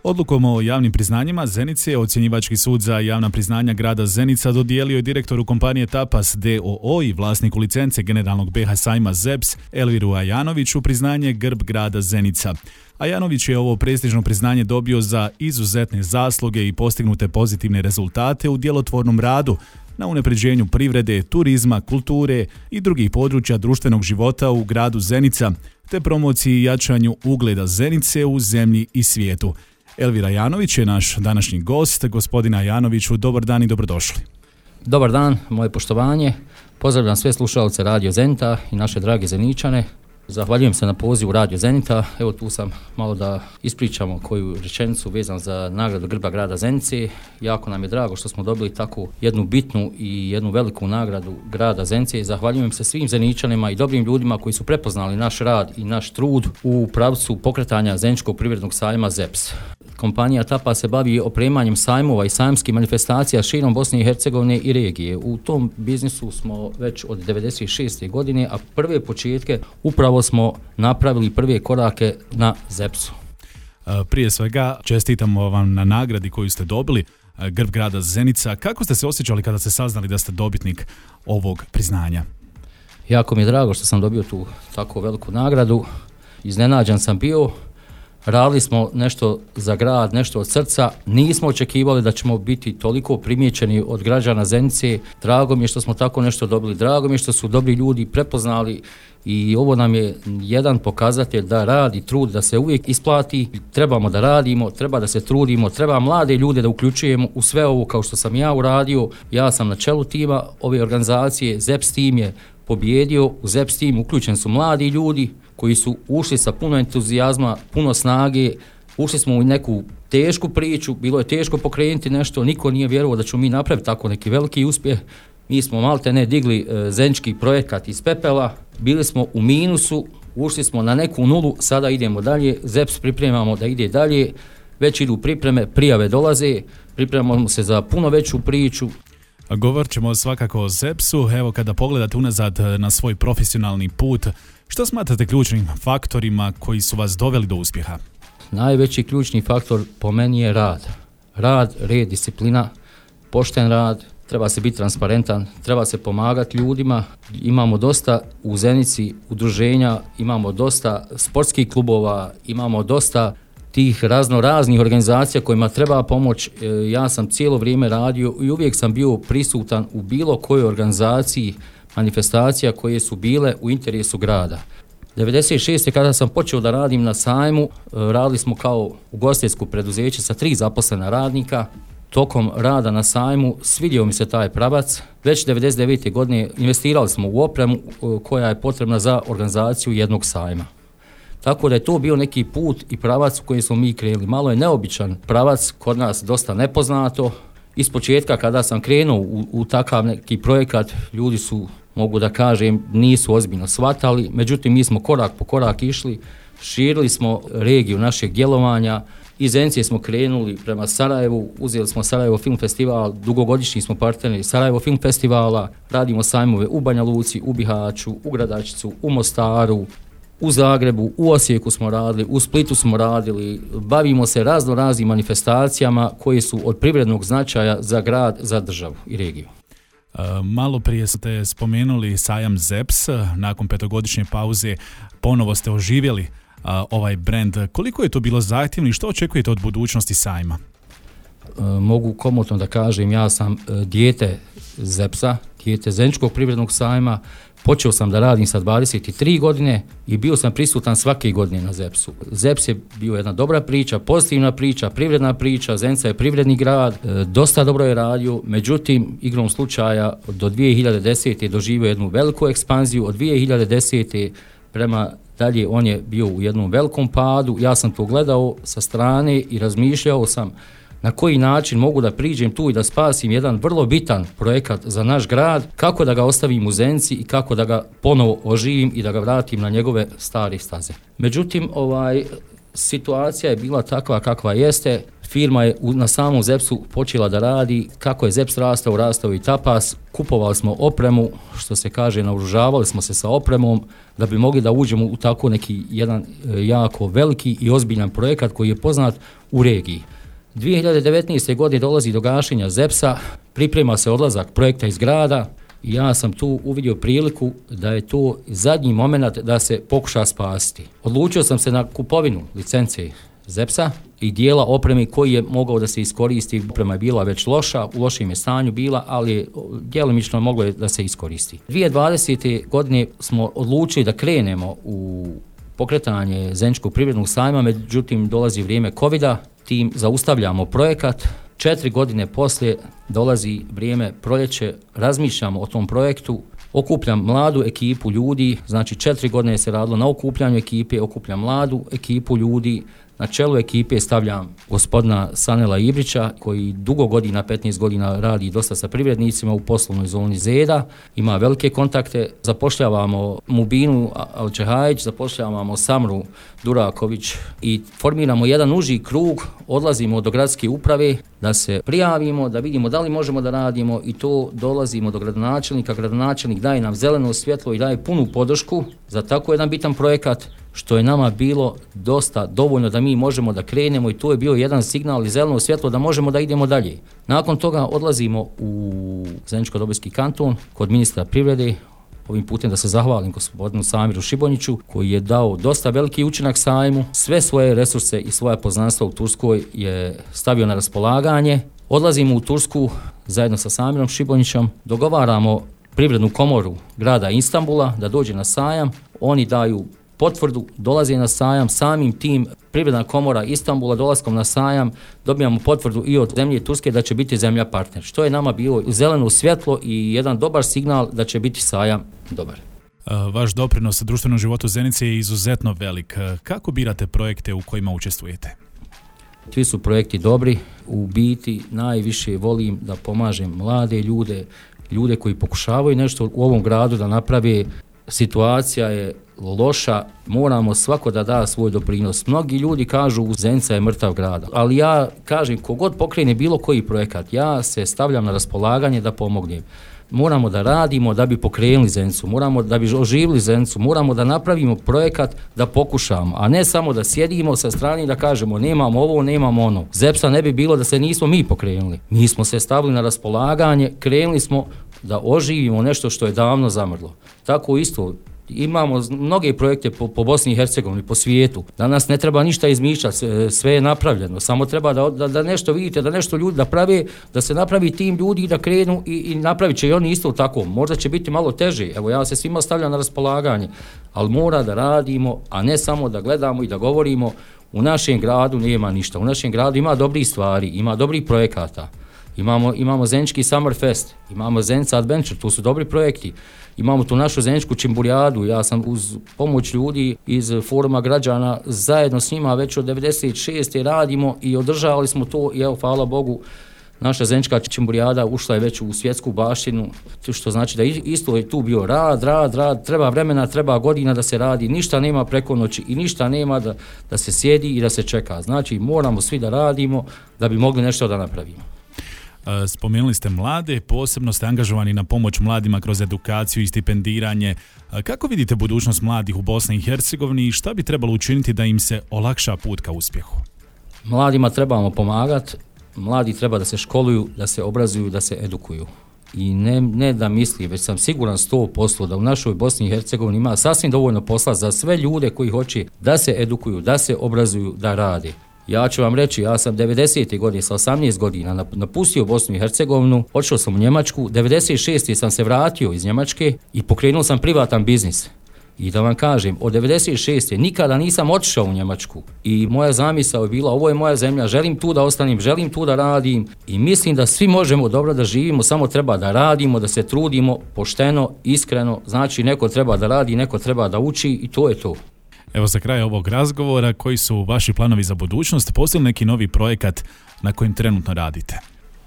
Odlukom o javnim priznanjima Zenice ocjenjivački sud za javna priznanja grada Zenica dodijelio je direktoru kompanije Tapas d.o.o. i vlasniku licence generalnog BH sajma ZEPS Elviru Ajanoviću priznanje Grb grada Zenica. Ajanović je ovo prestižno priznanje dobio za izuzetne zasluge i postignute pozitivne rezultate u djelotvornom radu na unapređenju privrede, turizma, kulture i drugih područja društvenog života u gradu Zenica, te promociji i jačanju ugleda Zenice u zemlji i svijetu. Elvira Ajanović je naš današnji gost. Gospodine Ajanoviću, dobar dan i dobrodošli. Dobar dan, moje poštovanje. Pozdravljam sve slušalce Radio Zenita i naše drage Zeničane. Zahvaljujem se na pozivu Radio Zenita. Evo tu sam malo da ispričamo koju rečenicu vezan za nagradu Grba grada Zenice. Jako nam je drago što smo dobili takvu jednu bitnu i jednu veliku nagradu grada Zenice. Zahvaljujem se svim Zeničanima i dobrim ljudima koji su prepoznali naš rad i naš trud u pravcu pokretanja Zeničkog privrednog sajma ZEPS. Kompanija Tapa se bavi opremanjem sajmova i sajmskih manifestacija širom Bosne i Hercegovine i regije. U tom biznisu smo već od 1996. godine, a prve početke upravo smo napravili prve korake na ZEPS-u. Prije svega čestitamo vam na nagradi koju ste dobili, Grb grada Zenica. Kako ste se osjećali kada ste saznali da ste dobitnik ovog priznanja? Jako mi je drago što sam dobio tu tako veliku nagradu. Iznenađen sam bio. Radili smo nešto za grad, nešto od srca. Nismo očekivali da ćemo biti toliko primijećeni od građana Zenice. Drago mi je što smo tako nešto dobili. Drago mi je što su dobri ljudi prepoznali i ovo nam je jedan pokazatelj da rad i trud da se uvijek isplati. Trebamo da radimo, treba da se trudimo, treba mlade ljude da uključujemo u sve ovo kao što sam ja uradio. Ja sam na čelu tima ove organizacije, ZEPS tim je pobjedio, u ZEPS tim uključeni su mladi ljudi koji su ušli sa puno entuzijazma, puno snage. Ušli smo u neku tešku priču, bilo je teško pokrenuti nešto, niko nije vjerovao da ćemo mi napraviti tako neki veliki uspjeh. Mi smo maltene digli zenički projekat iz pepela, bili smo u minusu, ušli smo na neku nulu, sada idemo dalje, ZEPS pripremamo da ide dalje, već idu pripreme, prijave dolaze, pripremamo se za puno veću priču. Govorit ćemo svakako o ZEPS-u. Evo, kada pogledate unazad na svoj profesionalni put, što smatrate ključnim faktorima koji su vas doveli do uspjeha? Najveći ključni faktor po meni je rad. Rad, red, disciplina, pošten rad, treba se biti transparentan, treba se pomagati ljudima. Imamo dosta u Zenici udruženja, imamo dosta sportskih klubova, imamo dosta tih raznih organizacija kojima treba pomoć. Ja sam cijelo vrijeme radio i uvijek sam bio prisutan u bilo kojoj organizaciji, manifestacija koje su bile u interesu grada. 1996. kada sam počeo da radim na sajmu, radili smo kao ugostiteljsko preduzeće sa 3 zaposlena radnika. Tokom rada na sajmu svidio mi se taj pravac. Već 1999. godine investirali smo u opremu koja je potrebna za organizaciju jednog sajma. Tako da je to bio neki put i pravac u kojem smo mi krenuli. Malo je neobičan pravac, kod nas dosta nepoznato. Iz početka kada sam krenuo u takav neki projekat, ljudi su, mogu da kažem, nisu ozbiljno shvatali. Međutim, mi smo korak po korak išli, širili smo regiju našeg djelovanja. Iz Zenice smo krenuli prema Sarajevu, uzeli smo Sarajevo film festival, dugogodišnji smo partneri Sarajevo film festivala, radimo sajmove u Banja Luci, u Bihaću, u Gradačcu, u Mostaru, u Zagrebu, u Osijeku smo radili, u Splitu smo radili, bavimo se raznim manifestacijama koje su od privrednog značaja za grad, za državu i regiju. Malo prije ste spomenuli sajam ZEPS, nakon 5-godišnje pauze ponovo ste oživjeli ovaj brend. Koliko je to bilo zahtjevno i što očekujete od budućnosti sajma? Mogu komotno da kažem, ja sam dijete ZEPS-a, dijete Zeničkog privrednog sajma. Počeo sam da radim sa 23 godine i bio sam prisutan svake godine na ZEPS-u. ZEPS je bio jedna dobra priča, pozitivna priča, privredna priča, Zenica je privredni grad, dosta dobro je radio, međutim, igrom slučaja do 2010. doživio jednu veliku ekspanziju, od 2010. prema dalje on je bio u jednom velikom padu. Ja sam to gledao sa strane i razmišljao sam na koji način mogu da priđem tu i da spasim jedan vrlo bitan projekat za naš grad, kako da ga ostavim u Zenici i kako da ga ponovo oživim i da ga vratim na njegove stare staze. Međutim, situacija je bila takva kakva jeste. Firma je na samom ZEPS-u počela da radi, kako je ZEPS rastao i Tapas, kupovali smo opremu, što se kaže, naoružavali smo se sa opremom da bi mogli da uđemo u tako neki jedan jako veliki i ozbiljan projekat koji je poznat u regiji. 2019. godine dolazi do gašenja ZEPS-a, priprema se odlazak projekta iz grada i ja sam tu uvidio priliku da je to zadnji moment da se pokuša spasiti. Odlučio sam se na kupovinu licence ZEPS-a i dijela opreme koji je mogao da se iskoristi. Oprema je bila već loša, u lošem je stanju bila, ali djelomično moglo je da se iskoristi. 2020. godine smo odlučili da krenemo u pokretanje Zeničkog privrednog sajma, međutim dolazi vrijeme covida, tim zaustavljamo projekat. 4 godine poslije dolazi vrijeme proljeće, razmišljamo o tom projektu, okupljam mladu ekipu ljudi, znači 4 godine se radilo na okupljanju ekipe, okupljam mladu ekipu ljudi, na čelu ekipe stavljam gospodina Sanela Ibrića koji dugo godina, 15 godina radi dosta sa privrednicima u poslovnoj zoni Zeda, ima velike kontakte, zapošljavamo Mubinu Alčehajić, zapošljavamo Samru Duraković i formiramo jedan uži krug, odlazimo do gradske uprave da se prijavimo, da vidimo da li možemo da radimo i to dolazimo do gradonačelnika, gradonačelnik daje nam zeleno svjetlo i daje punu podršku za tako jedan bitan projekat, što je nama bilo dosta dovoljno da mi možemo da krenemo i to je bio jedan signal i zeleno svjetlo da možemo da idemo dalje. Nakon toga odlazimo u Zeničko-Dobojski kanton kod ministra privrede, ovim putem da se zahvalim gospodinu Samiru Šibonjiću koji je dao dosta veliki učinak sajmu, sve svoje resurse i svoja poznanstva u Turskoj je stavio na raspolaganje. Odlazimo u Tursku zajedno sa Samirom Šibonjićem, dogovaramo privrednu komoru grada Istanbula da dođe na sajam, oni daju potvrdu, dolaze na sajam, samim tim privredna komora Istanbula dolaskom na sajam dobijamo potvrdu i od zemlje Turske da će biti zemlja partner, što je nama bilo zeleno svjetlo i jedan dobar signal da će biti sajam dobar. Vaš doprinos društvenom životu Zenice je izuzetno velik. Kako birate projekte u kojima učestvujete? Svi su projekti dobri, u biti najviše volim da pomažem mlade ljude koji pokušavaju nešto u ovom gradu da naprave. Situacija je loša, moramo svako da da svoj doprinos. Mnogi ljudi kažu Zenica je mrtav grad, ali ja kažem kogod pokrene bilo koji projekat, ja se stavljam na raspolaganje da pomognem. Moramo da radimo da bi pokrenuli Zenicu, moramo da bi oživili Zenicu, moramo da napravimo projekat da pokušamo, a ne samo da sjedimo sa strane i da kažemo nemamo ovo, nemamo ono. ZEPS-a ne bi bilo da se nismo mi pokrenuli. Mi smo se stavili na raspolaganje, krenuli smo da oživimo nešto što je davno zamrlo. Tako isto, imamo mnoge projekte po Bosni i Hercegovini, po svijetu. Danas ne treba ništa izmišljati, sve je napravljeno. Samo treba da nešto vidite, da nešto ljudi da prave, da se napravi tim ljudi i da krenu i napravit će i oni isto tako. Možda će biti malo teže. Evo ja se svima stavljam na raspolaganje, ali mora da radimo, a ne samo da gledamo i da govorimo. U našem gradu nema ništa. U našem gradu ima dobrih stvari, ima dobrih projekata. Imamo Zenički Summer Fest, imamo Zenica Adventure, tu su dobri projekti. Imamo tu našu Zeničku Čimburijadu, ja sam uz pomoć ljudi iz foruma građana zajedno s njima već od 96. radimo i održavali smo to i evo, hvala Bogu, naša Zenička Čimburijada ušla je već u svjetsku baštinu, što znači da isto je tu bio rad, treba vremena, treba godina da se radi, ništa nema preko noći i ništa nema da se sjedi i da se čeka. Znači moramo svi da radimo da bi mogli nešto da napravimo. Spomenuli ste mlade, posebno ste angažovani na pomoć mladima kroz edukaciju i stipendiranje. Kako vidite budućnost mladih u Bosni i Hercegovini i šta bi trebalo učiniti da im se olakša put ka uspjehu? Mladima trebamo pomagati, mladi treba da se školuju, da se obrazuju, da se edukuju. I ne da misli, već sam siguran 100% da u našoj Bosni i Hercegovini ima sasvim dovoljno posla za sve ljude koji hoće da se edukuju, da se obrazuju, da rade. Ja ću vam reći, ja sam 90. godine sa 18 godina napustio Bosnu i Hercegovinu, odšao sam u Njemačku, 96. sam se vratio iz Njemačke i pokrenuo sam privatan biznis. I da vam kažem, od 96. nikada nisam otišao u Njemačku i moja zamisao je bila, ovo je moja zemlja, želim tu da ostanem, želim tu da radim i mislim da svi možemo dobro da živimo, samo treba da radimo, da se trudimo pošteno, iskreno, znači neko treba da radi, neko treba da uči i to je to. Evo za kraj ovog razgovora, koji su vaši planovi za budućnost, postoji neki novi projekat na kojem trenutno radite?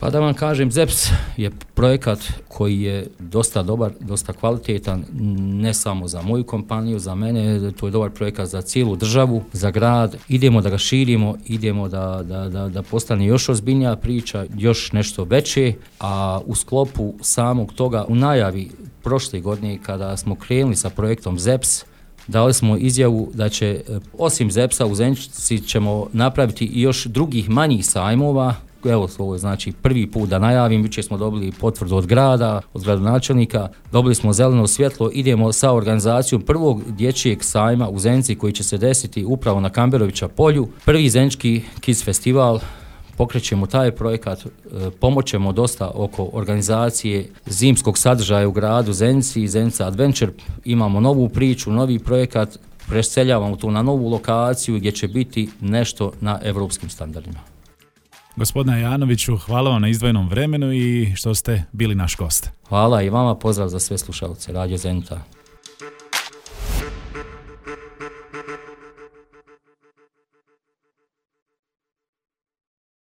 Pa da vam kažem, ZEPS je projekat koji je dosta dobar, dosta kvalitetan, ne samo za moju kompaniju, za mene, to je dobar projekat za cijelu državu, za grad. Idemo da ga širimo, idemo da postane još ozbiljnija priča, još nešto veće, a u sklopu samog toga, u najavi prošle godine kada smo krenuli sa projektom ZEPS, dali smo izjavu da će, osim ZEPS-a u Zenici ćemo napraviti i još drugih manjih sajmova. Evo, ovo je znači prvi put da najavim, jučer smo dobili potvrdu od grada, od gradonačelnika, dobili smo zeleno svjetlo, idemo sa organizacijom prvog dječjeg sajma u Zenici koji će se desiti upravo na Kamberovića polju. Prvi Zenički Kids festival, pokrećemo taj projekat, pomoćemo dosta oko organizacije zimskog sadržaja u gradu Zenici, Zenica Adventure, imamo novu priču, novi projekat, preseljavamo tu na novu lokaciju gdje će biti nešto na evropskim standardima. Gospodine Janoviću, hvala vam na izdvojenom vremenu i što ste bili naš gost. Hvala i vama, pozdrav za sve slušalce Radio Zenica.